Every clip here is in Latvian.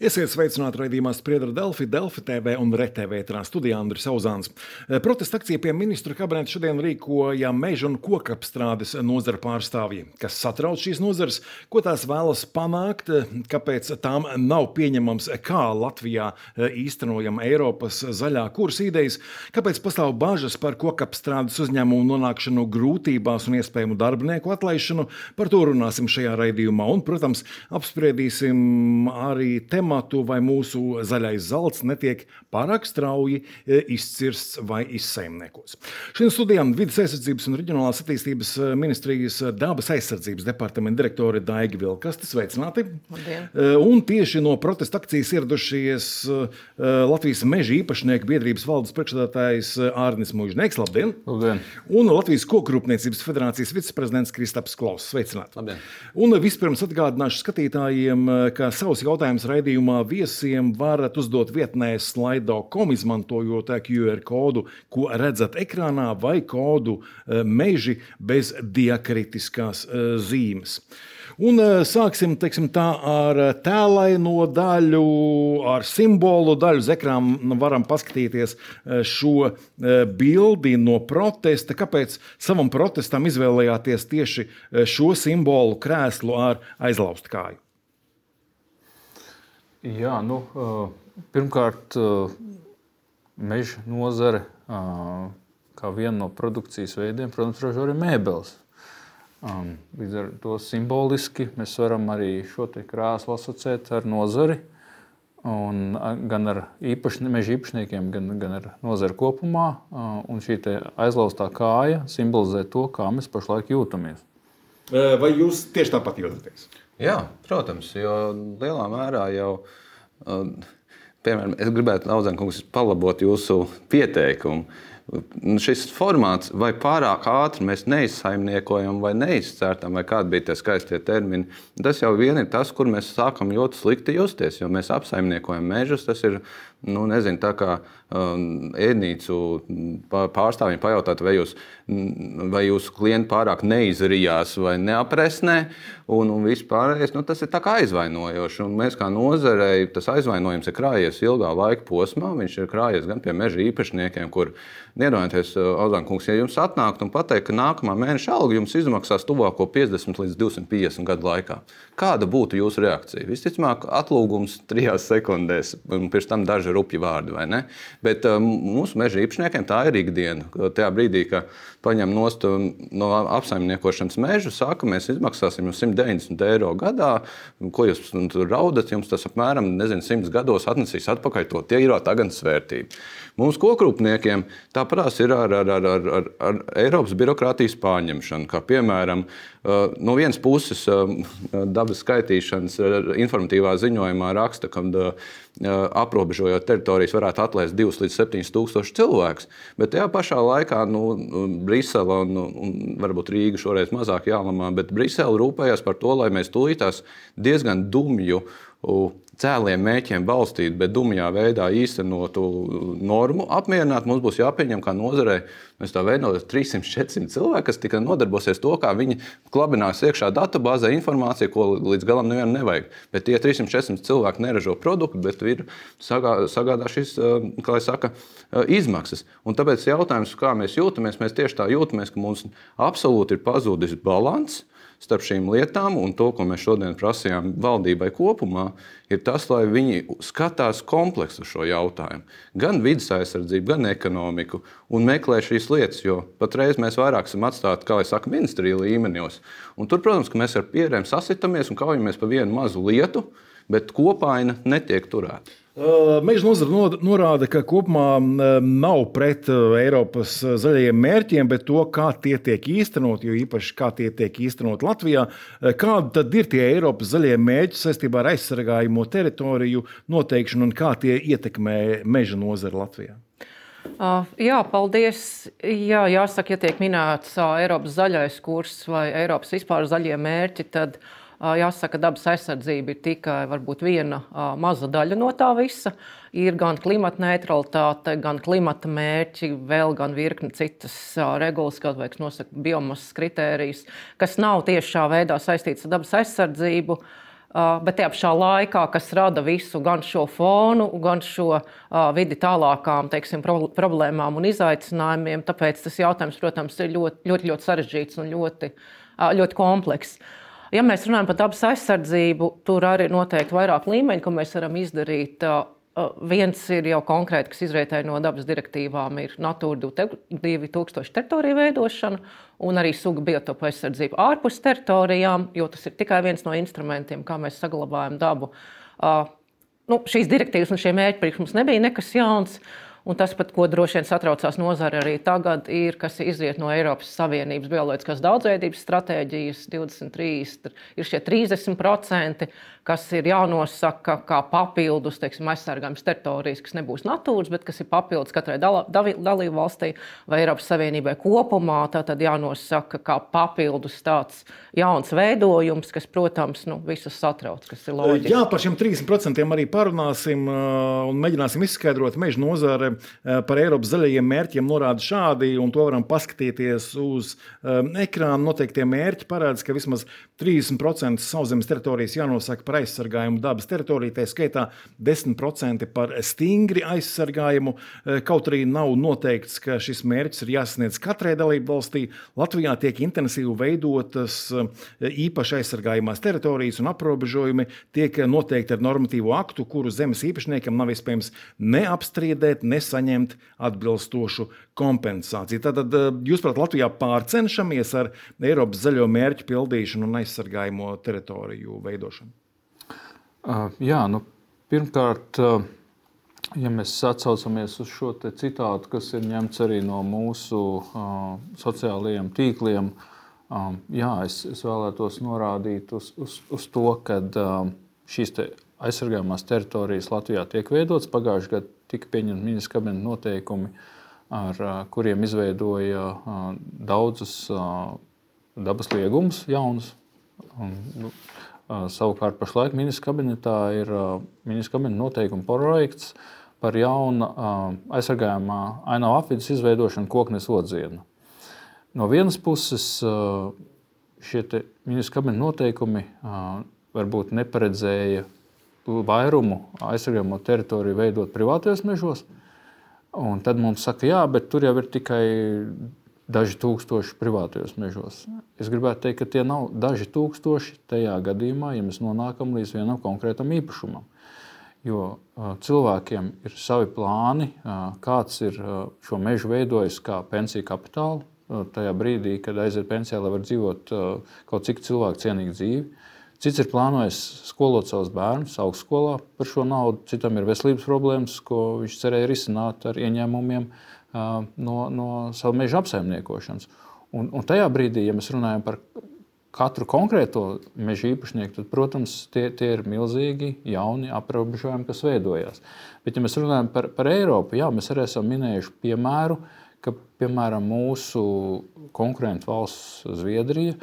Esiet sveicināti raidījumā Spriedra Delfi TV un RTV studijā Andris Auzāns. Protesta akcija pie ministru kabineta šodien rīkoja meža un kokapstrādes nozara pārstāvji. Kas satrauc šīs nozares, ko tās vēlas panākt, kāpēc tām nav pieņemams, kā Latvijā īstenojam Eiropas zaļā kursa idejas, kāpēc pastāv bažas par kokapstrādes uzņēmumu nonākšanu grūtībās un iespējamu darbinieku atlaišanu. Par to runāsim šajā raidījumā un, protams, apspriedīsim arī tematu, vai mūsu zaļais zelts netiek pārāk strauji izcirsts vai izsaimniekos. Šodien studijām Vides aizsardzības un reģionālās attīstības ministrijas dabas aizsardzības departamenta direktore Daiga Vilkaste. Sveicināti! Labdien. Un tieši no protesta akcijas ieradušies Latvijas meža īpašnieku biedrības valdes priekšsēdētājs Ārnis Muižnieks. Labdien! Labdien! Un Latvijas Kokrūpniecības federācijas viceprezidents Kristaps Klauss. Sveicināti! Labdien! Un vispirms atgādināšu skatītājiem, ka savus jautājumus raidījumā viesiem varat uzdot vietnē slido.com, izmantojot QR kodu, ko redzat ekrānā, vai kodu meži bez diakritiskās zīmes. Un sāksim, teiksim tā, ar tēlaino daļu, ar simbolu daļu. Uz ekrāna varam paskatīties šo bildi no protesta. Kāpēc savam protestam izvēlējāties tieši šo simbolu krēslu ar aizlaustu kāju? Jā, pirmkārt, meža nozare, kā viena no produkcijas veidiem, protams, ražo arī mēbeles. Līdz ar to simboliski mēs varam arī šo te krēslu asociēt ar nozari, un gan ar meža īpašniekiem, gan ar nozari kopumā. Un šī te aizlaustā kāja simbolizē to, kā mēs pašlaik jūtamies. Vai jūs tieši tāpat jūtaties? Jā, protams, jo lielā mērā jau, piemēram, es gribētu, Auzānkungs, palabot jūsu pieteikumu. Šis formāts, vai pārāk ātri mēs neizsaimniekojam vai neizcērtam, vai kādi bija tie skaistie termini, tas jau vien ir tas, kur mēs sākam ļoti slikti justies, jo mēs apsaimniekojam mežus. Tas ir, nezinu, tā kā ēdnīcu pārstāvjiem pajautāt, vai jūsu klienti pārāk neizrijās vai neapresnē, un vispārējais, tas ir tā kā aizvainojoši. Un mēs kā nozarei, tas aizvainojums ir krājies ilgā laika posmā, viņš ir krājies gan pie meža īpašniekiem, kur, iedomājieties, Auzānkungs, ja jums atnākt un pateikt, ka nākamā mēneša alga jums izmaksās tuvāko 50 līdz 250 gadu laikā. Kāda būtu jūsu reakcija? Visticamāk, atlūgums 3 sekundēs, un pirms tam daži rupji vārdi, vai ne? Bet mūsu meža īpašniekiem tā ir ikdiena. Tajā brīdī, ka paņem nost no apsaimniekošanas mežu, saka, mēs izmaksāsim jums 190 eiro gadā, ko jūs tur raudat, jums tas apmēram, 100 gados atnesīs atpakaļ to tīrā tagadnes vērtību. Mums kokrūpniekiem tāpatās ir ar Eiropas birokrātijas pārņemšanu, kā piemēram, no vienas puses dabas skaitīšanas informatīvā ziņojumā raksta, ka aprobežojot teritorijas varētu atlaist 2 līdz 7 tūkstoši cilvēkus, bet tajā pašā laikā Brisele un varbūt Rīga šoreiz mazāk jālamā, bet Brisele rūpējās par to, lai mēs tūlītās diezgan dumju cēliem mēķiem balstīt, bet dumjā veidā īstenotu normu apmierināt. Mums būs jāpieņem kā nozarei, mēs tā veidot 300-400 cilvēki, kas tikai nodarbosies to, kā viņi klabinās iekšā databāzē informāciju, ko līdz galam nevienam nevajag. Bet tie 300-400 cilvēki neražo produktu, bet ir sagādā šis, kā lai saka, izmaksas. Un tāpēc jautājums, kā mēs jūtamies, mēs tieši tā jūtamies, ka mums absolūti ir pazudis balans starp šīm lietām, un to, ko mēs šodien prasījām valdībai kopumā, ir tas, lai viņi skatās kompleksu šo jautājumu. Gan vides aizsardzību, gan ekonomiku, un meklē šīs lietas, jo patreiz mēs vairāk esam atstāti, kā lai saka, ministrija līmeņos. Un tur, protams, ka mēs ar pierēm sasitamies un kaujamies pa vienu mazu lietu, bet kopaina netiek turēta. Meža nozara norāda, ka kopumā nav pret Eiropas zaļajiem mērķiem, bet to, kā tie tiek īstenot, jo īpaši kā tie tiek īstenot Latvijā. Kādi tad ir tie Eiropas zaļie mērķi saistībā ar aizsargājumu teritoriju noteikšanu un kā tie ietekmē meža nozara Latvijā? Jā, paldies. Jā, jāsaka, ja tiek minēts Eiropas zaļais kurs vai Eiropas vispār zaļie mērķi, tad jāsaka, dabas aizsardzība ir tikai varbūt viena maza daļa no tā visa. Ir gan klimata neutralitāte, gan klimata mērķi, vēl gan virkni citas regulas, kā vajag nosaka biomasas kritērijas, kas nav tiešā veidā saistīts ar dabas aizsardzību. Bet tajā pašā laikā, kas rada visu gan šo fonu, gan šo vidi tālākām, teiksim, problēmām un izaicinājumiem, tāpēc tas jautājums, protams, ir ļoti sarežģīts un ļoti komplekss. Ja mēs runājam par dabas aizsardzību, tur arī ir noteikti vairāk līmeņi, ko mēs varam izdarīt. Viens ir jau konkrēti, kas izrietēja no dabas direktīvām, ir Natūra 2000 teritoriju veidošana un arī sugu biotopu aizsardzību ārpus teritorijām, jo tas ir tikai viens no instrumentiem, kā mēs saglabājam dabu. Šīs direktīvas un šie mērķi priekš mums nebija nekas jauns. Un tas, pat, ko droši vien satraucās nozare arī tagad, ir, kas izriet no Eiropas Savienības bioloģiskās daudzveidības stratēģijas 2030, ir šie 30%, kas ir jānosaka kā papildus, teiksim, aizsargājums teritorijas, kas nebūs natūras, bet kas ir papildus katrai dalību valstī vai Eiropas Savienībai kopumā. Tātad jānosaka kā papildus tāds jauns veidojums, kas, protams, visus satrauc, kas ir loģiski. Jā, par šiem 30% arī parunāsim un mēģināsim izskaidrot. Meža nozare par Eiropas zaļajiem mērķiem norāda šādi, un to varam paskatīties uz ekrāna. Noteiktie mērķi parāda, ka vismaz 30% sauszemes teritorijas jānosaka par aizsargājumu dabas teritoriju, tā skaitā 10% par stingri aizsargājumu. Kaut arī nav noteikts, ka šis mērķis ir jāsasniedz katrai dalību valstī. Latvijā tiek intensīvi veidotas īpaši aizsargājumās teritorijas un aprobežojumi tiek noteikti ar normatīvu aktu, kuru zemes īpašniekam nav iespējams neapstrīdēt, nesaņemt atbilstošu kompensāciju. Tātad jūs, prāt, Latvijā pārcenšamies ar Eiropas zaļo mērķu pildīšanu un aizsargājumo teritoriju veidošanu? Jā, pirmkārt, ja mēs atsaucamies uz šo te citātu, kas ir ņemts arī no mūsu sociālajiem tīkliem, jā, es vēlētos norādīt uz to, ka šīs te aizsargājumās teritorijas Latvijā tiek veidotas. Pagājušajā gadā tika pieņemti ministra kabineta noteikumi, ar kuriem izveidoja daudzus dabas liegumus jaunus. Savukārt pašlaik ministra kabinetā ir ministra kabineta noteikuma projekts par jaunu aizsargājumā ainava apvidus izveidošanu Koknes odzienu. No vienas puses šie ministra kabineta noteikumi varbūt neparedzēja vairumu aizsargājamo teritoriju veidot privātajos mežos, un tad mums saka, jā, bet tur jau ir tikai daži tūkstoši privātajos mežos. Es gribētu teikt, ka tie nav daži tūkstoši tajā gadījumā, ja mēs nonākam līdz vienam konkrētam īpašumam. Jo cilvēkiem ir savi plāni, kāds ir šo mežu veidojis kā pensiju kapitālu. Tajā brīdī, kad aiziet pensijā, lai var dzīvot kaut cik cilvēku cienīgu dzīvi. Cits ir plānojis skolot savus bērnus augstskolā par šo naudu. Citam ir veselības problēmas, ko viņš cerēja risināt ar ieņēmumiem no savu meža apsaimniekošanas. Un tajā brīdī, ja mēs runājam par katru konkrēto meža īpašnieku, tad, protams, tie ir milzīgi jauni aprobežojumi, kas veidojās. Bet, ja mēs runājam par Eiropu, jā, mēs arī esam minējuši piemēru, ka, piemēram, mūsu konkurentu valsts Zviedrija,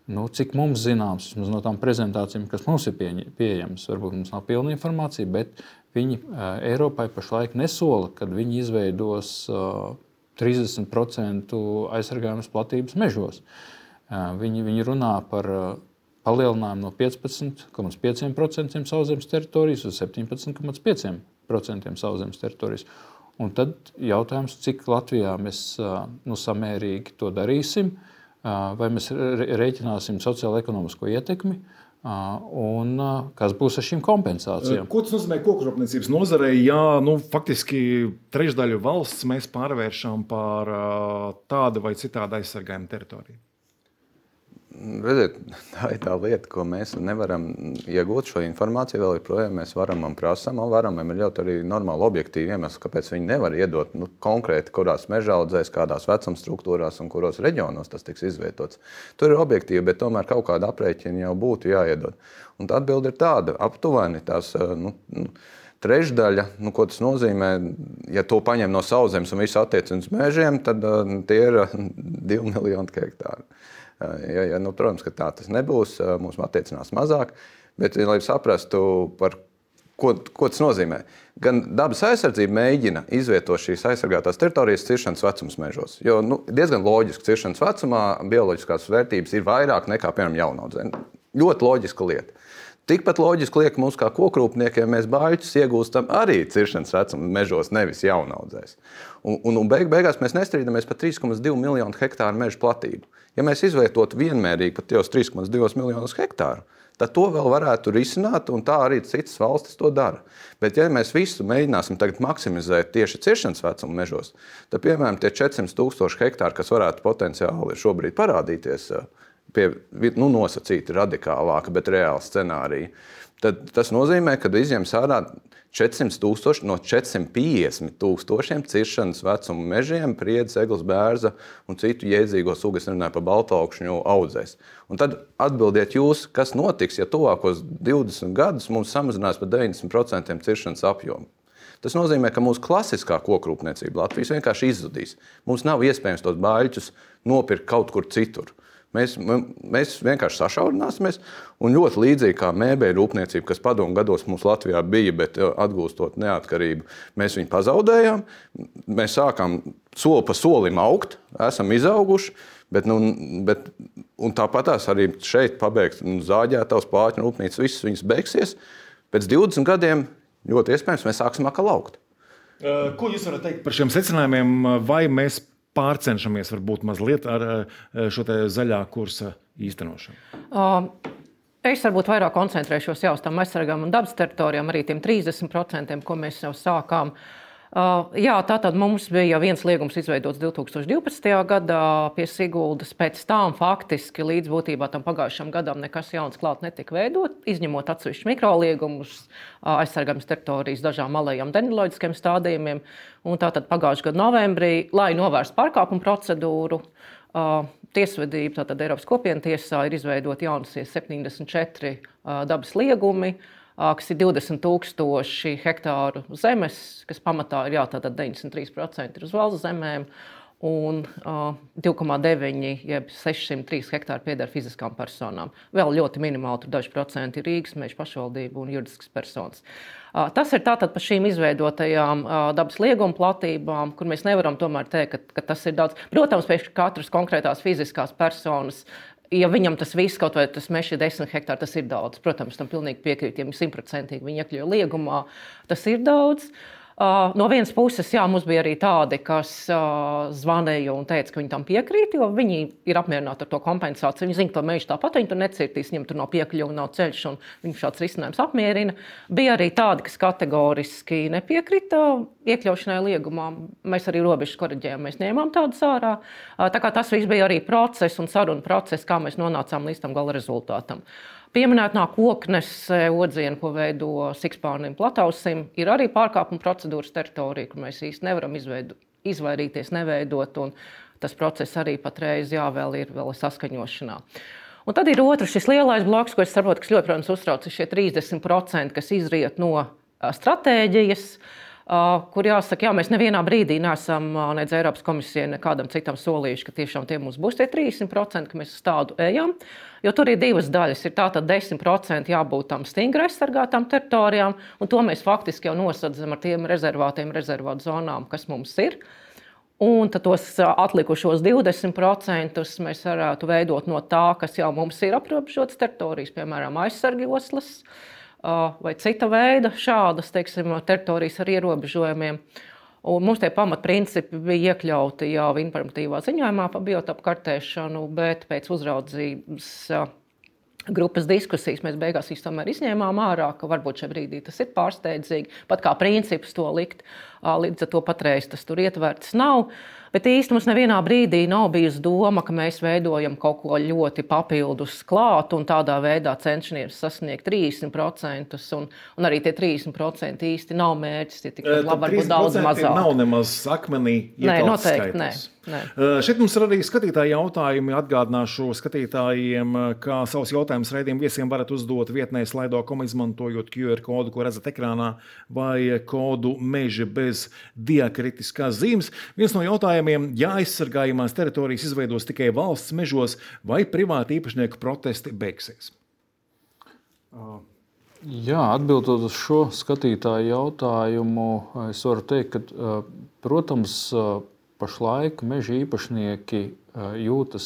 cik mums zināms, no tām prezentācijām, kas mums ir pieejamas, varbūt mums nav pilna informācija, bet viņi Eiropai pašlaik nesola, kad viņi izveidos 30% aizsargājumas platības mežos. Viņi runā par palielinājumu no 15,5% sauszemes teritorijas uz 17,5% sauszemes teritorijas. Un tad jautājums, cik Latvijā mēs samērīgi to darīsim, vai mēs rēķināsim sociālo-ekonomisko ietekmi, un kas būs ar šīm kompensācijām. Ko tas nozīmē kokrūpniecības nozarei, ja faktiski trešdaļu valsts mēs pārvēršam par tādu vai citādu aizsargājumu teritoriju? Redziet, tā ir tā lieta, ko mēs nevaram iegūt šo informāciju. Vēl joprojām mēs varam un prasām, un varam ir ļoti arī normāli objektīvi iemesli, kāpēc viņi nevar iedot konkrēti, kurās mežaudzēs, kādās vecuma struktūrās un kuros reģionos tas tiks izvietots. Tur ir objektīvi, bet tomēr kaut kāda aprēķina jau būtu jāiedod. Un tā atbilde ir tāda, aptuveni tās trešdaļa, ko tas nozīmē, ja to paņem no sauszemes un visu attiecina uz mežiem, tad tie ir 2 miljoni hektāri. Protams, ka tā tas nebūs, mums attiecinās mazāk, bet, lai saprastu, par ko tas nozīmē. Gan dabas aizsardzība mēģina izvietot šīs aizsargātās teritorijas ciršanas vecums mežos, jo diezgan loģiski ciršanas vecumā bioloģiskās vērtības ir vairāk nekā, piemēram, jaunaudzē. Ļoti loģiska lieta. Tikpat loģiski liek mums, kā kokrūpniekiem, mēs bāļķus iegūstam arī ciršanas vecuma mežos, nevis jaunaudzēs. Un beigās mēs nestrīdamies par 3,2 miljonu hektāru meža platību. Ja mēs izvietotu vienmērīgi pat tos 3,2 miljonus hektāru, tad to vēl varētu risināt, un tā arī citas valstis to dara. Bet ja mēs visu mēģināsim tagad maksimizēt tieši ciršanas vecuma mežos, tad, piemēram, tie 400,000 hektāri, kas varētu potenciāli šobrīd parādīties pie nosacīti radikālāka, bet reāla scenārija, tad tas nozīmē, ka izņems ārā 400,000 no 450,000 ciršanas vecuma mežiem, priedz, eglis, bērza un citu jēdzīgo sugu, es runāju par baltaukšņu audzēs. Un tad atbildiet jūs, kas notiks, ja tuvākos 20 gadus mums samazinās par 90% ciršanas apjomu. Tas nozīmē, ka mūsu klasiskā kokrūpniecība Latvijas vienkārši izzudīs. Mums nav iespējams tos bāļķus nopirkt kaut kur citur. Mēs vienkārši sašaurināsimies, un ļoti līdzīgi kā mēbeļu rūpniecība, kas padomu gados mums Latvijā bija, bet atgūstot neatkarību, mēs viņu pazaudējām. Mēs sākām soli pa solim augt, esam izauguši, un tāpatās arī šeit pabeigt zāģētavas, plāķu rūpnīcas, visas viņas beigsies. Pēc 20 gadiem ļoti iespējams mēs sāksim atkal augt. Ko jūs varat teikt par šiem secinājumiem, vai mēs pārcenšamies varbūt mazliet ar šo te zaļā kursa īstenošanu? Es varbūt vairāk koncentrēšos jau uz tām aizsargām un dabas teritorijām, arī tiem 30%, ko mēs jau sākām. Jā, tātad mums bija viens liegums izveidots 2012. gadā pie Siguldas. Pēc tam faktiski līdz būtībā tam pagājušam gadam nekas jauns klāt netika veidot, izņemot atsevišķus mikroliegumus, aizsargāmas teritorijas dažām malējām dendroloģiskiem stādījumiem. Un tātad pagājušā gada novembrī, lai novērstu pārkāpumu procedūru, tiesvedība, tātad Eiropas kopienu tiesā ir izveidot jaunasies 74 dabas liegumi, kas ir 20,000 hektāru zemes, kas pamatā ir tātad 93% ir uz valsts zemēm, un 2,9 jeb 603 hektāri pieder fiziskām personām. Vēl ļoti minimāli, tur daži procenti ir Rīgas meža pašvaldība un juridiskas personas. Tas ir tātad par šīm izveidotajām dabas lieguma platībām, kur mēs nevaram tomēr teikt, ka tas ir daudz. Protams, pēc katras konkrētās fiziskās personas, ja viņam tas viss, kaut vai tas mežs ir 10 hektāri, tas ir daudz. Protams, tam pilnīgi piekrīt, ja 100% viņi iekļauj liegumā, tas ir daudz. No vienas puses, jā, mums bija arī tādi, kas zvanīja un teica, ka viņi tam piekrīt, jo viņi ir apmierināti ar to kompensāciju. Viņi zina, ka to mežu tāpat viņi tur necirtīs, viņam tur nav piekļuva, nav ceļš, un viņu šāds risinājums apmierina. Bija arī tādi, kas kategoriski nepiekrita iekļaušanai liegumā. Mēs arī robežas koriģējām, mēs ņēmām tādus ārā. Tā kā tas viss bija arī process un saruna process, kā mēs nonācām līdz tam gala rezultātam. Pieminētā koknes odziena, ko veido Sikspārnim Platausim, ir arī pārkāpuma procedūras teritorija, kur mēs īsti nevaram izvairīties, neveidot, un tas process arī patreiz vēl ir saskaņošanā. Un tad ir otrs, šis lielais bloks, ko es saprotu, kas ļoti, protams, uztrauc, ir šie 30%, kas izriet no stratēģijas, kur jāsaka, jā, mēs nevienā brīdī neesam nedz Eiropas komisijai nekādam citam solījuši, ka tiešām tie mums būs tie 30%, ka mēs uz tādu ejam. Jo tur ir divas daļas. Ir tātad 10% jābūt tam stingri aizsargātām teritorijām, un to mēs faktiski jau nosadzam ar tiem rezervātu zonām, kas mums ir. Un tad tos atlikušos 20% mēs varētu veidot no tā, kas jau mums ir aprobežotas teritorijas, piemēram, aizsargjoslas, vai cita veida šādas, teiksim, teritorijas ar ierobežojumiem. Un mums tie pamatprincipi bija iekļauti jau informatīvā ziņojumā par biotopu kartēšanu, bet pēc uzraudzības grupas diskusijas mēs beigās tomēr izņēmām ārā, ka varbūt šajā brīdī tas ir pārsteidzīgi, pat kā princips to likt, līdz ar to patreiz tas tur ietverts nav. Bet īsti mums nevienā brīdī nav bijusi doma, ka mēs veidojam kaut ko ļoti papildus klāt un tādā veidā cenšamies sasniegt 30%, un arī tie 30% īsti nav mērķis, tie tikai labi varbūt daudz mazāk. Nav nemaz akmenī iekalts skaitlis. Nē. Šeit mums ir arī skatītāji jautājumi. Atgādināšu skatītājiem, kā savus jautājumus raidījuma viesiem varat uzdot vietnē Slido.com, izmantojot QR kodu, ko redzat ekrānā, vai kodu meži bez diakritiskās zīmes. Viens no jautājumiem, ja aizsargājamās teritorijas izveidos tikai valsts mežos, vai privāti īpašnieku protesti beigsies? Jā, atbildot uz šo skatītāju jautājumu, es varu teikt, ka, protams, pašlaik meža īpašnieki jūtas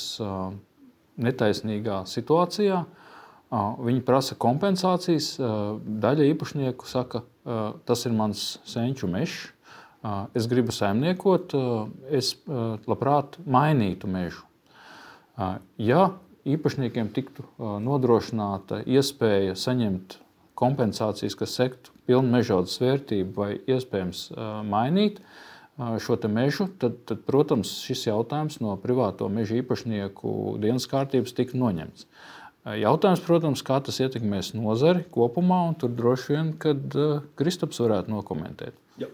netaisnīgā situācijā, Viņi prasa kompensācijas. Daļa īpašnieku saka, tas ir mans senču mežs. Es gribu saimniekot, es labprāt mainītu mežu. Ja īpašniekiem tiktu nodrošināta iespēja saņemt kompensācijas, kas sektu pilnu mežaudzes vērtību vai iespējams mainīt šo te mežu, tad, protams, šis jautājums no privāto mežu īpašnieku dienas kārtības tika noņemts. Jautājums, protams, kā tas ietekmēs nozari kopumā, un tur droši vien, kad Kristaps varētu nokomentēt. Jā.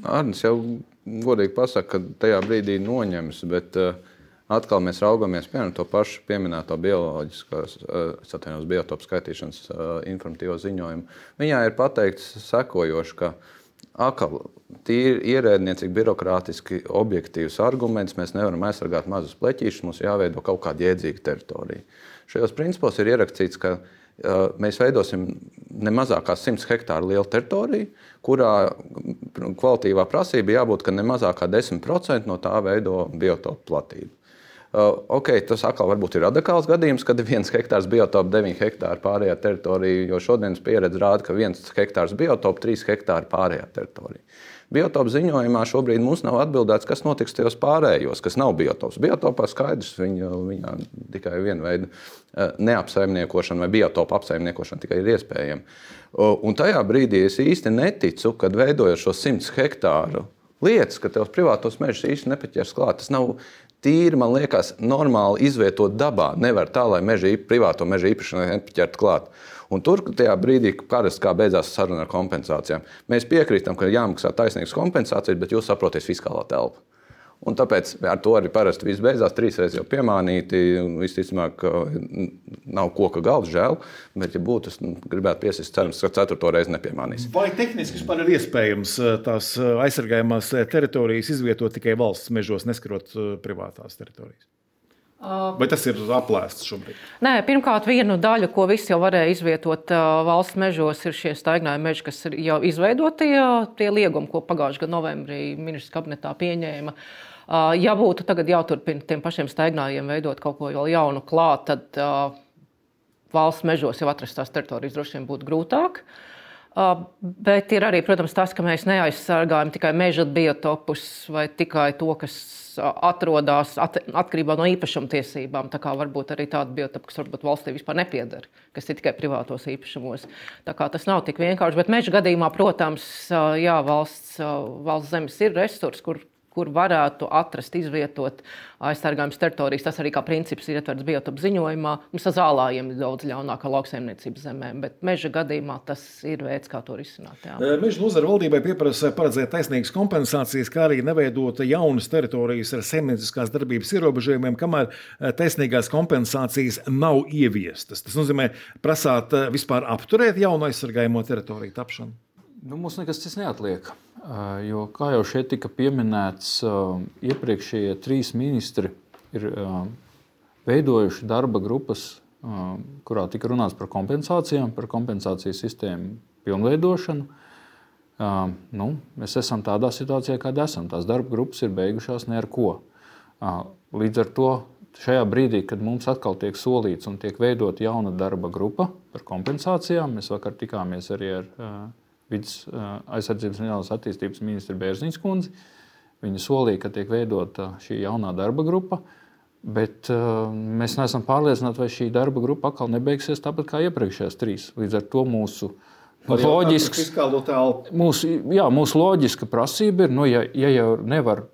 Arnis jau godīgi pasaka, ka tajā brīdī noņems, bet atkal mēs raugamies piemēram to pašu pieminēto biotopu skaitīšanas informatīvo ziņojumu. Viņā ir pateikts sekojoši, ka tīri ierēdniecīgi, birokrātiski objektīvs arguments, mēs nevaram aizsargāt mazus pleķīšus, mums jāveido kaut kāda jēdzīga teritorija. Šajos principos ir ierakstīts, ka mēs veidosim ne mazākā 100 hektāru lielu teritoriju, kurā kvalitīvā prasība jābūt, ka ne mazākā 10% no tā veido biotopu platību. Tas atkal varbūt ir radikāls gadījums, kad 1 hektārs biotopu, 9 hektāri pārējā teritorija, jo šodienas pieredze rāda, ka 1 hektārs biotopu, 3 hektāri pārējā teritorija. Biotopu ziņojumā šobrīd mums nav atbildēts, kas notiks tajos pārējos, kas nav biotops. Biotopā skaidrs, viņā tikai viena veida neapsaimniekošana vai biotopu apsaimniekošana tikai ir iespējama. Un tajā brīdī es īsti neticu, kad veidojot šo 100 hektāru lietas, ka tevs privātos mežus īsti nepaķers klāt. Tas nav tīri, man liekas, normāli izvietot dabā. Nevar tā, lai privāto mežu īpašnieki nepaķert klāt. Un tur tajā brīdī, parasti kā beidzās saruna ar kompensācijām, mēs piekrītam, ka jāmaksā taisnīgas kompensācijas, bet jūs saprotat fiskālā telpa. Un tāpēc ar to arī parasti viss beidzās, 3 reizes jau piemānīti, un visticamāk nav koka galds, žēl, bet ja būtu, es gribētu piesist cerams, ka 4. reizi nepiemānīs. Vai tehniski vispār ir iespējams tās aizsargājumās teritorijas izvietot tikai valsts mežos, neskarot privātās teritorijas? Vai tas ir aplēsts šobrīd? Nē, pirmkārt, vienu daļu, ko visi jau varēja izvietot valsts mežos, ir šie staignājumi meži, kas ir jau izveidoti, tie liegumi, ko pagājušajā gadā novembrī ministrs kabinetā pieņēma. Ja būtu tagad jāturpina tiem pašiem staignājiem veidot kaut ko vēl jaunu klāt, tad valsts mežos jau atrastās teritorijas droši vien būtu grūtāk. Bet ir arī, protams, tas, ka mēs neaizsargājam tikai meža biotopus vai tikai to, kas atrodas atkarībā no īpašumtiesībām. Tā kā varbūt arī tāda biotopa, kas varbūt valstī vispār nepieder, kas ir tikai privātos īpašumos. Tā kā tas nav tik vienkārši, bet meža gadījumā, protams, jā, valsts zemes ir resurs, kur varētu atrast, izvietot aizsargājums teritorijas. Tas arī kā princips ir ietverts biotopu ziņojumā. Mums ar zālājiem ir daudz ļaunākā lauksaimniecības zemēm, bet meža gadījumā tas ir veids, kā to risināt. Meža nozara valdībai pieprasa paredzēt taisnīgas kompensācijas, kā arī neveidot jaunas teritorijas ar saimnieciskās darbības ierobežojumiem, kamēr taisnīgās kompensācijas nav ieviestas. Tas nozīmē prasāt vispār apturēt jaunu aizsargājumo teritoriju tapšanu. Mums nekas cits neatliek. Jo, kā jau šeit tika pieminēts, iepriekšējie 3 ministri ir veidojuši darba grupas, kurā tika runāts par kompensācijām, par kompensācijas sistēmu pilnveidošanu. Mēs esam tādā situācijā, kāda esam. Tās darba grupas ir beigušās ne ar ko. Līdz ar to šajā brīdī, kad mums atkal tiek solīts un tiek veidot jauna darba grupa par kompensācijām, mēs vakar tikāmies arī ar Vides aizsardzības un reģionālās attīstības ministru Bērziņas kundzi. Viņa solīja, ka tiek veidota šī jaunā darba grupa, bet mēs neesam pārliecināti, vai šī darba grupa atkal nebeigsies tāpat kā iepriekšējās 3. Līdz ar to mūsu loģiska prasība ir, ja jau nevar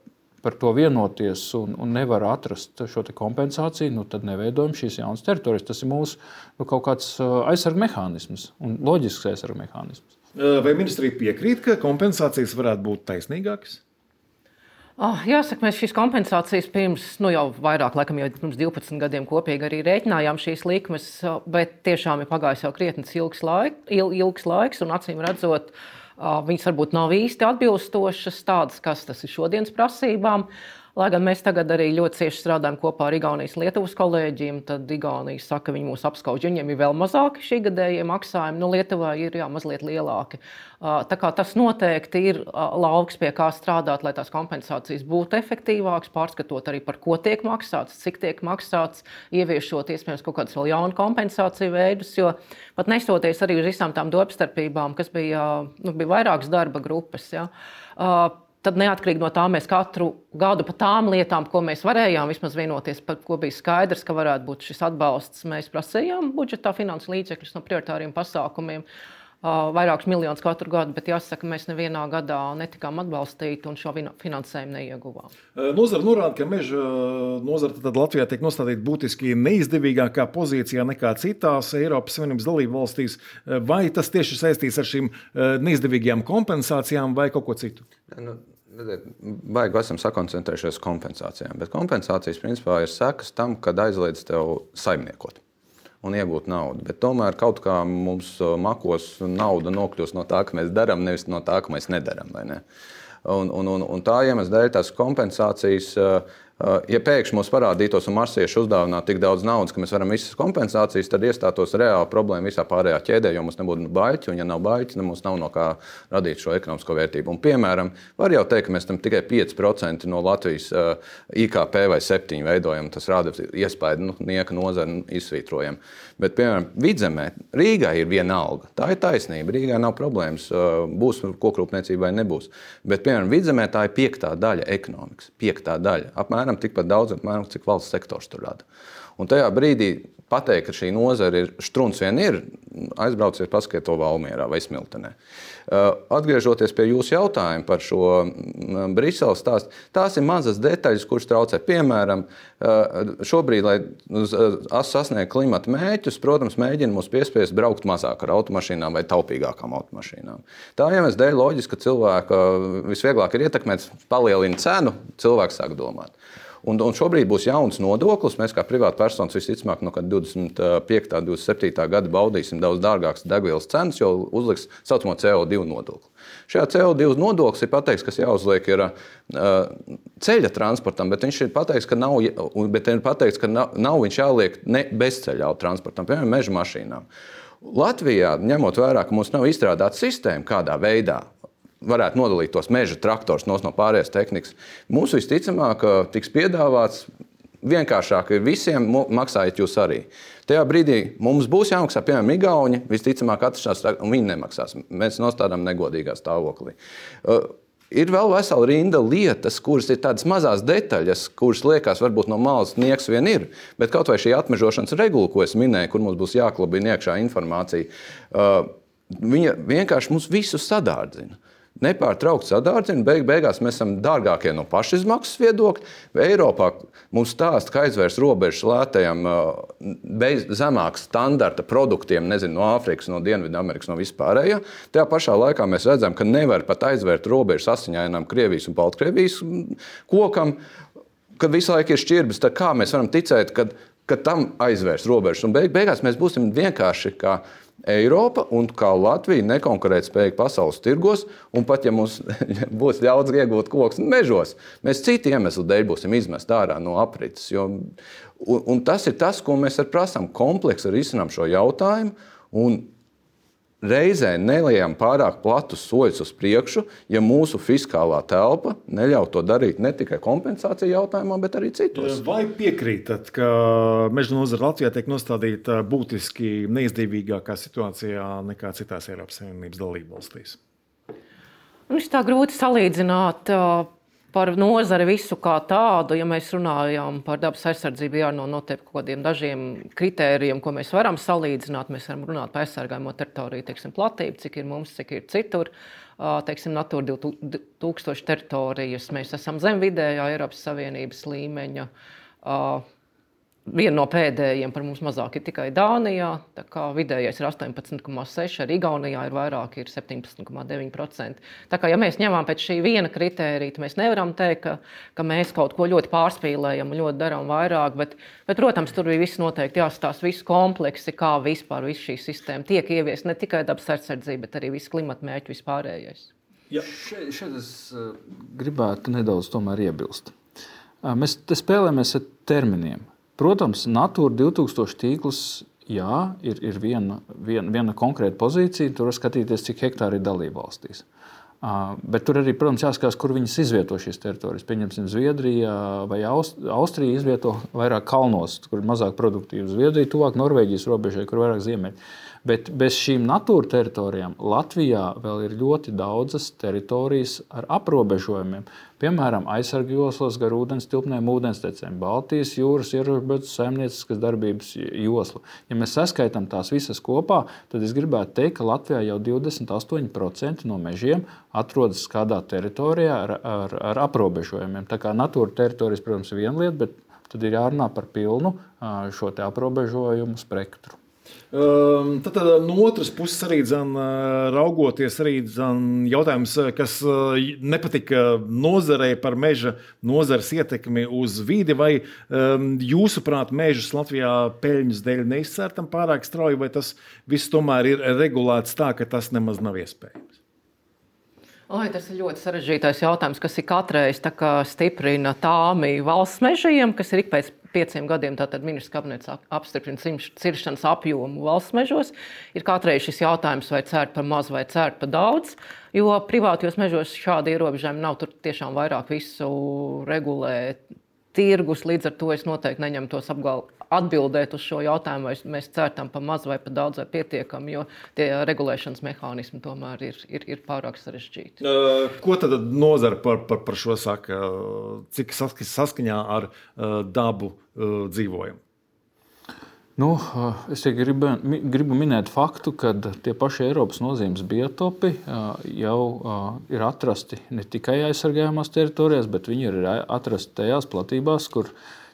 par to vienoties un nevar atrast šo te kompensāciju, tad neveidojam šīs jaunas teritorijas. Tas ir mūsu kaut kāds aizsarga mehānisms un loģisks aizsarga mehānisms. Vai ministrija piekrīt, ka kompensācijas varētu būt taisnīgākas? Jāsaka, mēs šīs kompensācijas jau vairāk, laikam jau pirms 12 gadiem kopīgi arī rēķinājām šīs likmes, bet tiešām ir pagājis jau krietnis ilgs laiks, un acīm redzot, viņas varbūt nav īsti atbilstošas tādas, kas tas ir šodienas prasībām. Lai gan mēs tagad arī ļoti cieši strādājam kopā ar Igaunijas Lietuvas kolēģiem, tad Igaunija saka, ka viņi mūs apskauž, viņiem ir vēl mazāki šī gadējie maksājumi, Lietuvā ir mazliet lielāki. Tā kā tas noteikti ir lauks, pie kā strādāt, lai tās kompensācijas būtu efektīvākas, pārskatot arī par ko tiek maksāts, cik tiek maksāts, ieviešot iespējams kaut kādus vēl jaunu kompensāciju veidus, jo pat nestoties arī uz visām tām domstarpībām, kas bija vairākas darba grupas, ja, tad neatkarīgi no tā mēs katru gadu par tām lietām, ko mēs varējām vismaz vienoties, par ko bija skaidrs, ka varētu būt šis atbalsts, mēs prasījām budžetā finansu līdzekļus no prioritāriem pasākumiem, vairākus miljonus katru gadu, bet jāsaka, mēs nevienā gadā netikām atbalstīti un šo finansējumu neieguvām. Nozara norāda, ka meža nozara tad Latvijā tiek nostādīta būtiski neizdevīgākā pozīcijā nekā citās Eiropas Savienības dalību valstīs. Vai tas tieši saistīts ar šīm neizdevīgajām kompensācijām vai kaut ko citu? Baigi esam sakoncentrējušies uz kompensācijām, bet kompensācijas principā ir sekas tam, kad aizliedz tev saimniekot un iegūt naudu. Bet tomēr kaut kā mums makos nauda nokļūst no tā, ka mēs darām, nevis no tā, ka mēs nedarām. Vai ne? Un tā iemesla dēļ tās kompensācijas, ja pēkšņi mums parādītos un marsieši uzdāvināt tik daudz naudas, ka mēs varam visas kompensācijas, tad iestātos reāla problēma visā pārējā ķēdē, jo mums nebūtu baļķi, un ja nav baļķi, tad mums nav no kā radīt šo ekonomisko vērtību. Un, piemēram, var jau teikt, ka mēs tam tikai 5% no Latvijas IKP vai 7% veidojam, tas rāda iespēju, nieka nozari izsvītrojam. Bet, piemēram, Vidzemē, Rīgā ir viena alga. Tā ir taisnība, Rīgā nav problēmas, būs kokrūpniecība vai nebūs. Bet, piemēram, Vidzemē tā ir 5. daļa ekonomikas, 5. daļa. Apmēram tikpat daudz, cik valsts sektors tur rada. Un tajā brīdī pateikt, ka šī nozara ir štruns vien ir, aizbrauciet paskatiet to Valmierā vai Smiltenē. Atgriežoties pie jūsu jautājuma par šo Briseles stāstu, tās ir mazas detaļas, kuras traucē. Piemēram, šobrīd, lai sasniegtu klimata mērķus, protams, mēģina mūs piespiest braukt mazāk ar automašīnām vai taupīgākām automašīnām. Tā iemesla dēļ loģiski, ka cilvēka visvieglāk ir ietekmēt, palielina cenu, cilvēks sāk domāt. Un šobrīd būs jauns nodoklis. Mēs kā privāta personas visticamāk no 25. 27. gada baudīsim daudz dārgākas degvielas cenas, jo uzliks saucamo CO2 nodokli. Šajā CO2 nodoklis ir pateikts, kas jāuzliek ir ceļa transportam, bet viņš ir pateikts, ka nav viņš jāliek ne bezceļa transportam, piemēram, meža mašīnām. Latvijā, ņemot vērā, ka mums nav izstrādāta sistēma kādā veidā, varētu nodalīt tos meža traktors no pārējās tehnikas. Mums visticamāk tiks piedāvāts vienkāršāk ir visiem, maksājiet jūs arī. Tajā brīdī mums būs jāmaksā, piemēram, Igauni, visticamāk atrašanās, un viņi nemaksās. Mēs nostādām negodīgā stāvoklī. Ir vēl vesela rinda lietas, kuras ir tādas mazās detaļas, kuras liekas varbūt no malas nieks vien ir, bet kaut vai šī atmežošanas regula, ko es minēju, kur mums būs jāklabina iekšā informācija, viņa vienkārši mums visus sadārdzina. Nepārtraukt sadārdzina, beigās mēs esam dārgākie no pašizmaksas viedokļa. Eiropā mums stāsta, ka aizvērs robežas lētajiem zemāks standarta produktiem, nezinu, no Āfrikas, no Dienvidamerikas, no vispārējā. Tajā pašā laikā mēs redzam, ka nevar pat aizvērt robežas asiņainām Krievijas un Baltkrievijas kokam, kad visu laiku ir šķirbas. Tad kā mēs varam ticēt, ka tam aizvērs robežas? Un beigās mēs būsim vienkārši kā Eiropa un kā Latvija nekonkurētspējīgi pasaules tirgos, un pat ja mums būs ļauts iegūt kokus mežos, mēs citu iemeslu dēļ būsim izmest ārā no aprites. Un tas ir tas, ko mēs prasām kompleksi risinām šo jautājumu, un reizē neliejam pārāk platus soļus uz priekšu, ja mūsu fiskālā telpa neļauj to darīt ne tikai kompensāciju jautājumā, bet arī citos. Vai piekrītat, ka meža nozara Latvijā tiek nostādīta būtiski neizdevīgākā situācijā nekā citās Eiropas Savienības dalībvalstīs? Viņš tā grūti salīdzināt par nozari visu kā tādu. Ja mēs runājam par dabas aizsardzību, jārunā noteikti kaut kādiem dažiem kritērijiem, ko mēs varam salīdzināt. Mēs varam runāt par aizsargājamo teritoriju, teiksim, platību, cik ir mums, cik ir citur. Teiksim, Natura 2000 teritorijas. Mēs esam zem vidējā Eiropas Savienības līmeņa. Viena no pēdējiem par mums mazāk ir tikai Dānijā. Tā kā vidējais ir 18,6%, arī Igaunijā ir vairāk, ir 17,9%. Tā kā, ja mēs ņemam pēc šī viena kritērija, mēs nevaram teikt, ka mēs kaut ko ļoti pārspīlējam un ļoti darām vairāk, bet, protams, tur bija viss noteikti jāstāsta visu kompleksi, kā vispār viss šī sistēma tiek ieviest, ne tikai dabas aizsardzība, bet arī viss klimata mērķu vispārējais. Ja. Šeit es gribētu nedaudz tomēr iebilst. Mēs te spēlējamies ar terminiem. Protams, Natūra 2000 tīkls, jā, ir viena konkrēta pozīcija. Tur var skatīties, cik hektāri ir dalībvalstīs. Bet tur arī, protams, jāskatās, kur viņas izvieto šīs teritorijas. Pieņemsim, Zviedrija vai Austrija izvieto vairāk kalnos, kur ir mazāk produktīva. Zviedrija tuvāk Norvēģijas robežai, kur vairāk ziemeļi. Bet bez šīm natūra teritorijām Latvijā vēl ir ļoti daudzas teritorijas ar aprobežojumiem. Piemēram, aizsargu joslas gar ūdens tilpnēm, ūdenstecēm, Baltijas jūras ierobežotas saimnieciskas darbības josla. Ja mēs saskaitām tās visas kopā, tad es gribētu teikt, ka Latvijā jau 28% no mežiem atrodas kādā teritorijā ar aprobežojumiem. Tā kā natūra teritorijas, protams, ir viena lieta, bet tad ir jārunā par pilnu šo te aprobežojumu spektru. Tad no otras puses arī raugoties arī jautājums, kas nepatika nozarei par meža nozares ietekmi uz vidi, vai jūsuprāt mežus Latvijā peļņas dēļ neizcērtam pārāk strauji, vai tas viss tomēr ir regulēts tā, ka tas nemaz nav iespējams? Tas ir ļoti sarežģītais jautājums, kas ir katreiz stiprina tāmi valsts mežiem, kas ir ik pēc 5 gadiem, tātad ministrs kabinets apstiprina ciršanas apjomu valsts mežos. Ir katreiz šis jautājums, vai cērt par maz vai cērt par daudz, jo privātajos mežos šādi ierobežojumi nav, tur tiešām vairāk visu regulē tirgus, līdz ar to es noteikti neņemtos atbildēt uz šo jautājumu, vai mēs cērtam par maz vai par daudz vai pietiekami, jo tie regulēšanas mehānismi tomēr ir pārāk sarežģīti. Ko tad nozara par šo saka? Cik saskaņā ar dabu dzīvojam? Es gribu minēt faktu, ka tie paši Eiropas nozīmes biotopi jau ir atrasti ne tikai aizsargājamās teritorijās, bet viņi ir atrasti tajās platībās, kur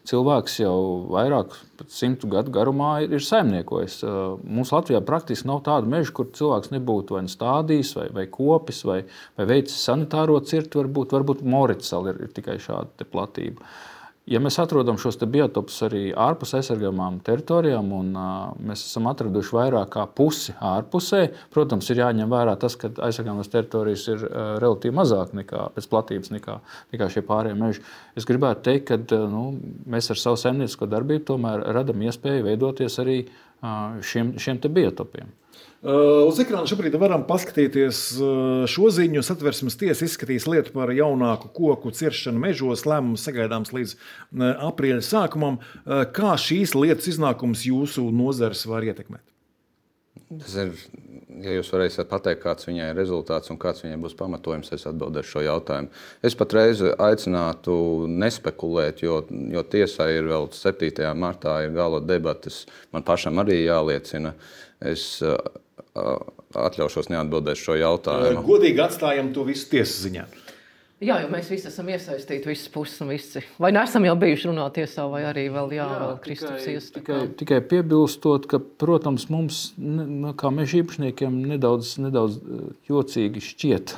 cilvēks jau vairāk 100 gadu garumā ir saimniekojis. Mums Latvijā praktiski nav tādu mežu, kur cilvēks nebūtu vai stādījis, vai kopis, vai veicis sanitāro cirti. Varbūt Moritsala ir tikai šāda platība. Ja mēs atrodam šos biotopus arī ārpus aizsargājamām teritorijām, un mēs esam atraduši vairāk kā pusi ārpusē, protams, ir jāņem vērā tas, ka aizsargājamās teritorijas ir relatīvi mazāk pēc platības nekā šie pārējie meži. Es gribētu teikt, ka mēs ar savu saimniecisko darbību tomēr radam iespēju veidoties arī šiem biotopiem. Uz ekrāna šobrīd varam paskatīties šo ziņu. Satversmes tiesa izskatīs lietu par jaunāku koku ciršanu mežos. Lēmums sagaidāms līdz aprīļa sākumam. Kā šīs lietas iznākums jūsu nozares var ietekmēt? Tas ir, ja jūs varēsiet pateikt, kāds viņai ir rezultāts un kāds viņai būs pamatojums, es atbildēšu šo jautājumu. Es patreiz aicinātu nespekulēt, jo tiesai ir vēl 7. martā ir gala debates. Man pašam arī jāliecina. Es atļaušos neatbildēt šo jautājumu. Godīgi atstājam to visu tiesas ziņā. Jā, jo mēs visi esam iesaistīti, visas puses un visi. Vai neesam jau bijuši runāt tiesā, vai arī vēl Kristaps iestādā? Tikai piebilstot, ka, protams, mums, kā meža īpašniekiem, nedaudz jocīgi šķiet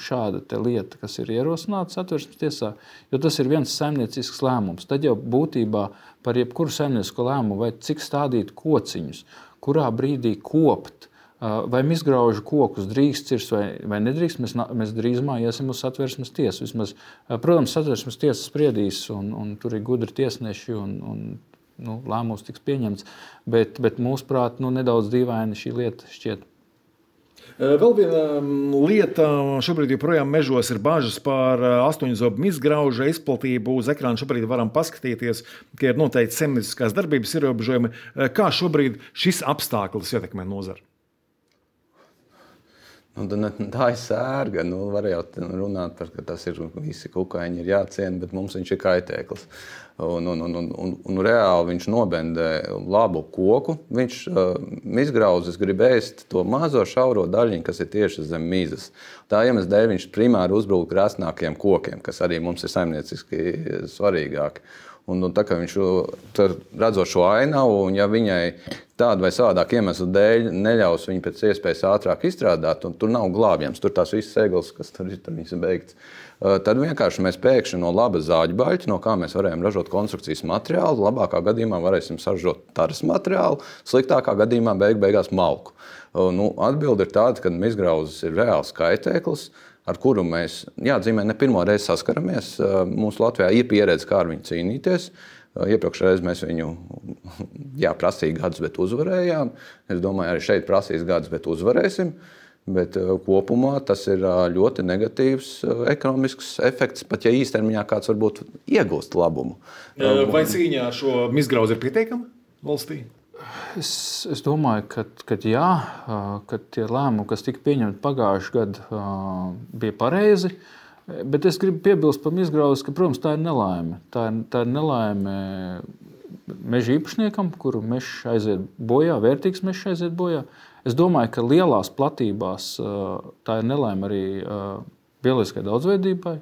šāda te lieta, kas ir ierosināta Satversmes tiesā, jo tas ir viens saimniecisks lēmums. Tad jau būtībā par jebkuru saimniecisko lēmumu vai cik stādīt kociņus, kurā brīdī kopt, vai izgraužu kokus drīkst cirst vai nedrīkst, mēs drīzumā iesim uz Satversmes tiesu. Vismaz, protams, Satversmes tiesa spriedīs, un tur ir gudri tiesneši, un lēmums tiks pieņemts, bet mūsuprāt, nedaudz dīvaini šī lieta šķiet. Vēl viena lieta, šobrīd joprojām mežos ir bažas par 8-zobu izgrauža izplatību. Uz ekrāna šobrīd varam paskatīties, ka ir noteikti saimnieciskās darbības ierobežojumi. Kā šobrīd šis apstākļus ietekmē nozari? Tā ir sērga. Var jau runāt par, ka tas ir visi kukaiņi ir jāciena, bet mums viņš ir kaitēklis. Un reāli viņš nobendē labu koku. Viņš izgrauzis grib ēst to mazo šauro daļiņu, kas ir tieši zem mizas. Tā iemesla dēļ viņš primāri uzbrūk krasnākiem kokiem, kas arī mums ir saimnieciski svarīgāki. Un tā kā viņš redzot šo ainavu, un ja viņai tādu vai savādāk iemeslu dēļ neļaus viņu pēc iespējas ātrāk izstrādāt, un tur nav glābjams, tur tās visas eglis, kas tur viņas ir beigts, tad vienkārši mēs pēkšņi no laba zāģu baļķa, no kā mēs varējām ražot konstrukcijas materiālu, labākā gadījumā varēsim saražot taras materiālu, sliktākā gadījumā beigās malku. Atbilde ir tāda, ka izgrauzis ir reāls kaitēklis. ar kuru mēs jāatzīmē ne pirmo reizi saskaramies. Mums Latvijā ir pieredze, kā ar viņu cīnīties. Iepriekšējā reizē mēs viņu prasīja gadus, bet uzvarējām. Es domāju, arī šeit prasīs gadus, bet uzvarēsim. Bet kopumā tas ir ļoti negatīvs ekonomisks efekts, pat ja īstermiņā kāds varbūt iegūst labumu. Vai cīņā ar šo mizgrauzi ir pietiekama valstī? Es domāju, ka jā, ka tie lēmumi, kas tika pieņemti pagājušajā gadā, bija pareizi. Bet es gribu piebilst par mizgrauzi, ka, protams, tā ir nelaime. Tā ir nelaime meža īpašniekam, kuru mežs aiziet bojā, vērtīgs mežs aiziet bojā. Es domāju, ka lielās platībās tā ir nelaime arī bioloģiskai daudzveidībai.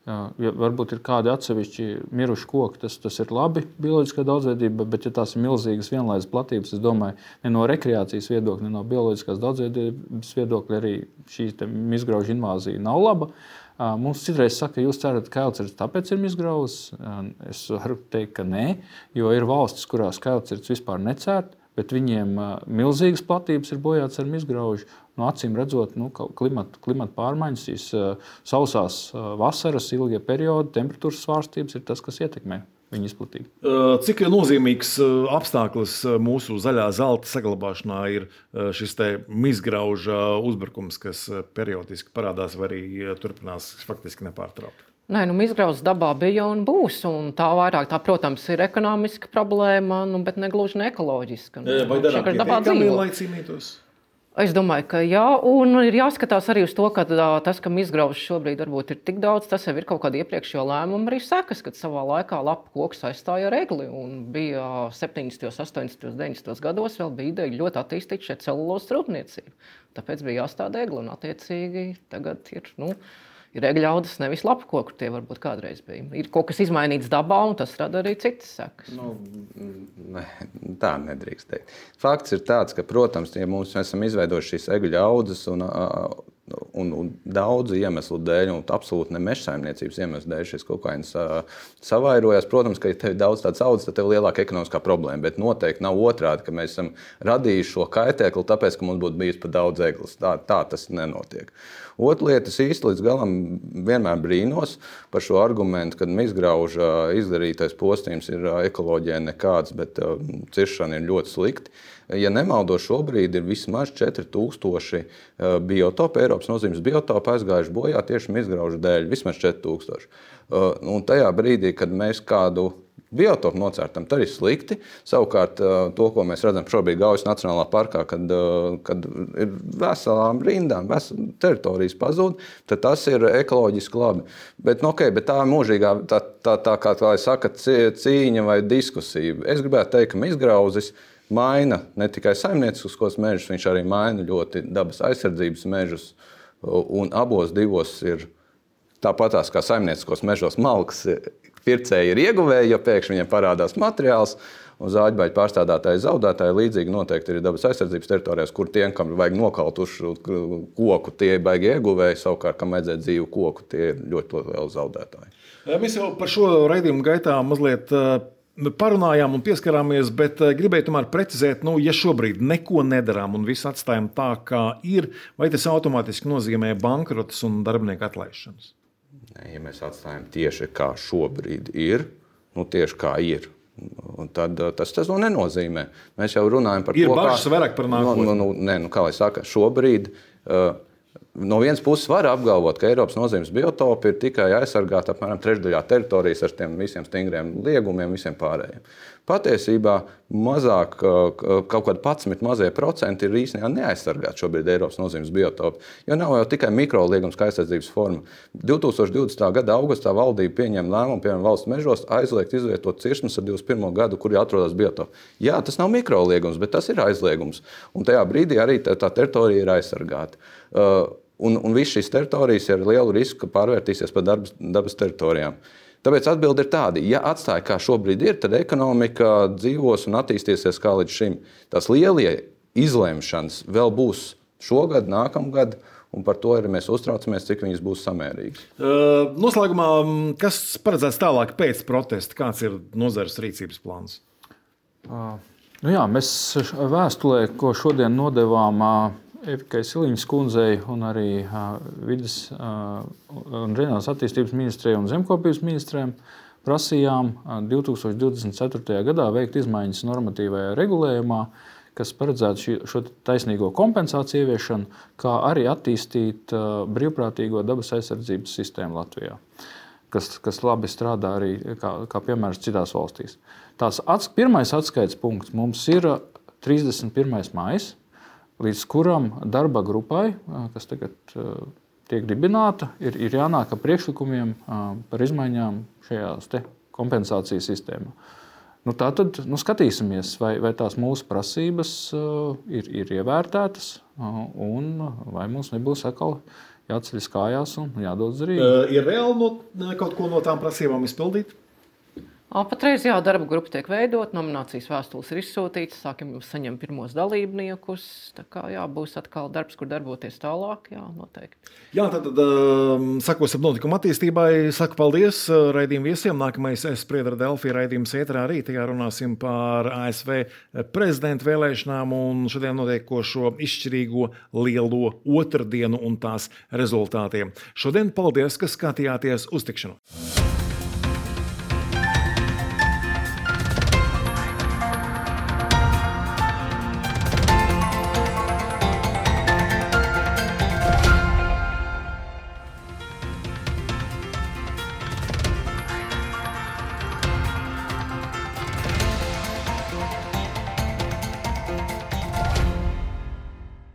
Ja varbūt ir kādi atsevišķi miruši koki, tas ir labi bioloģiskai daudzveidībai, bet ja tās ir milzīgas vienlaikus platības, es domāju, ne no rekreācijas viedokļa, ne no bioloģiskās daudzveidības viedokļa arī šī mizgraužu invāzija nav laba. Mums citreiz saka, ka jūs cerat, ka kailcirds tāpēc ir mizgrauzis. Es varu teikt, ka nē, jo ir valstis, kurās kailcirds vispār necērt, bet viņiem milzīgas platības ir bojātas ar mizgraužu. Acīm redzot, klimata pārmaiņas, šīs sausās vasaras, ilgie periodi, temperatūras svārstības ir tas, kas ietekmē viņu izplatību. Cik nozīmīgs apstākļus mūsu zaļā zelta saglabāšanā ir šis mizgrauža uzbrukums, kas periodiski parādās vai arī turpinās faktiski nepārtraukti? Nē, mizgrauzes dabā bija un būs. Un tā vairāk, protams, ir ekonomiska problēma, bet ne gluži ne ekoloģiska. Vai darām pietiekami, lai cīnītos? Es domāju, ka jā, un ir jāskatās arī uz to, ka tas, ka mizgrauzes šobrīd varbūt ir tik daudz, tas jau ir kaut kāda iepriekšējo lēmuma arī sekas, kad savā laikā lapu koks aizstāja ar egli. Un bija 70., 80., 90. gados vēl bija ideja ļoti attīstīt šeit celulozes rūpniecību. Tāpēc bija jāstāda egli, un attiecīgi tagad ir egļaudas, nevis lapu koku, tie varbūt kādreiz bija. Ir kaut kas izmainīts dabā, un tas rada arī citas sekas. Tā nedrīkst teikt. Fakts ir tāds, ka, protams, ja mēs esam izveidojuši šīs egļu audzes un daudzu iemeslu dēļ, un absolūti ne mežsaimniecības iemeslu dēļ šis kaut kāds savairojās. Protams, ka ja tev ir daudz tādas audzes, tad tev ir lielāka ekonomiskā problēma, bet noteikti nav otrādi, ka mēs esam radījuši šo kaitēkli, tāpēc, ka mums būtu bijis par daudz eglis. Tā tas nenotiek. Otra lieta, es īsti līdz galam vienmēr brīnos par šo argumentu, ka mizgrauža izdarītais postījums ir ekoloģijai nekāds, bet ciršana ir ļoti slikti. Ja nemaldos, šobrīd ir vismaz 4000 biotopu, Eiropas nozīmes biotopu aizgājuši bojā tieši mizgraužu dēļ, vismaz 4000. Un tajā brīdī, kad mēs kādu biotopu nocērtam, tad ir slikti. Savukārt, to, ko mēs redzam šobrīd Gaujas Nacionālā parkā, kad ir veselām rindām, teritorijas pazūd, tad tas ir ekoloģiski labi. Bet tā ir mūžīgā, kā saka, cīņa vai diskusija. Es gribētu teikt, ka mizgrauzis maina ne tikai saimnieciskos mežus, viņš arī maina ļoti dabas aizsardzības mežus. Un abos divos ir tāpatās kā saimnieciskos mežos malkas pircēji ir ieguvēji, jo pēkšņi viņiem parādās materiāls, un zāģbaļu pārstādātāji zaudētāji līdzīgi noteikti ir dabas aizsardzības teritorijās, kur tiem, kam vajag nokaut uz koku, tie ir baigi ieguvēji, savukārt, kam vajadzēja dzīvu koku, tie ir ļoti lieli zaudētāji. Mēs jau par šo raidījumu gaitā mazliet parunājām un pieskarāmies, bet gribēju tomēr precizēt, ja šobrīd neko nedarām un visu atstājam tā, kā ir, vai tas automātiski nozīmē bankrotus un darbinieku atlaišanas? Ja mēs atstājam tieši kā šobrīd ir, tieši kā ir, tad tas to nenozīmē. Mēs jau runājam par to, kā... Ir bažas vairāk par nākotni. Kā lai saka, šobrīd no vienas puses var apgalvot, ka Eiropas nozīmes biotopi ir tikai aizsargāti apmēram trešdaļā teritorijas ar tiem visiem stingriem liegumiem, visiem pārējiem. Patiesībā mazāk, kaut kādi 11 mazie procenti ir īstenībā neaizsargāti šobrīd Eiropas nozīmes biotopi, jo nav jau tikai mikroliegums kā aizsardzības forma. 2020. gada augustā valdība pieņēma lēmumu, piemēram, valsts mežos aizliegt izvietot cirsmas ar 21. gadu, kur atrodas biotopi. Jā, tas nav mikroliegums, bet tas ir aizliegums. Un tajā brīdī arī tā teritorija ir aizsargāta. Un viss šīs teritorijas ir ar lielu risku, ka pārvērtīsies par dabas teritorijām. Tāpēc atbilde ir tāda, ja atstāja kā šobrīd ir, tad ekonomika dzīvos un attīstīsies kā līdz šim. Tās lielie izlemšanas vēl būs šogad, nākamgad, un par to arī mēs uztraucamies, cik viņas būs samērīgas. Noslēgumā, kas paredzēts tālāk pēc protesta? Kāds ir nozares rīcības plāns? Mēs vēstulē, ko šodien nodevām Evikai Siliņas kundzei un arī vides un reģionālās attīstības ministrijai un zemkopības ministrijām prasījām 2024. gadā veikt izmaiņas normatīvajā regulējumā, kas paredzētu šo taisnīgo kompensāciju ieviešanu, kā arī attīstīt brīvprātīgo dabas aizsardzības sistēmu Latvijā, kas labi strādā arī kā piemērs citās valstīs. Pirmais atskaites punkts mums ir 31. maijs, līdz kuram darba grupai, kas tagad tiek dibināta, ir jānāk ar priekšlikumiem par izmaiņām šajās kompensācijas sistēmā. Tātad skatīsimies, vai tās mūsu prasības ir ievērtētas un vai mums nebūs atkal jāceļas kājās un jādodas Rīgā. Ir reāli kaut ko no tām prasībām izpildīt? Patreiz darba grupa tiek veidot, nominācijas vēstules ir izsūtītas, sākam saņemt pirmos dalībniekus. Tā kā būs atkal darbs, kur darboties tālāk, noteikti. Tad sakosim notikuma attīstībai. Saku paldies raidījumu viesiem. Nākamais Spriedra Delfi raidījums ēterā rīt. Tajā runāsim par ASV prezidenta vēlēšanām un šodien notiekošo izšķirīgo lielo otrdienu un tās rezultātiem. Šodien paldies, ka skatījāties uz tikšanos.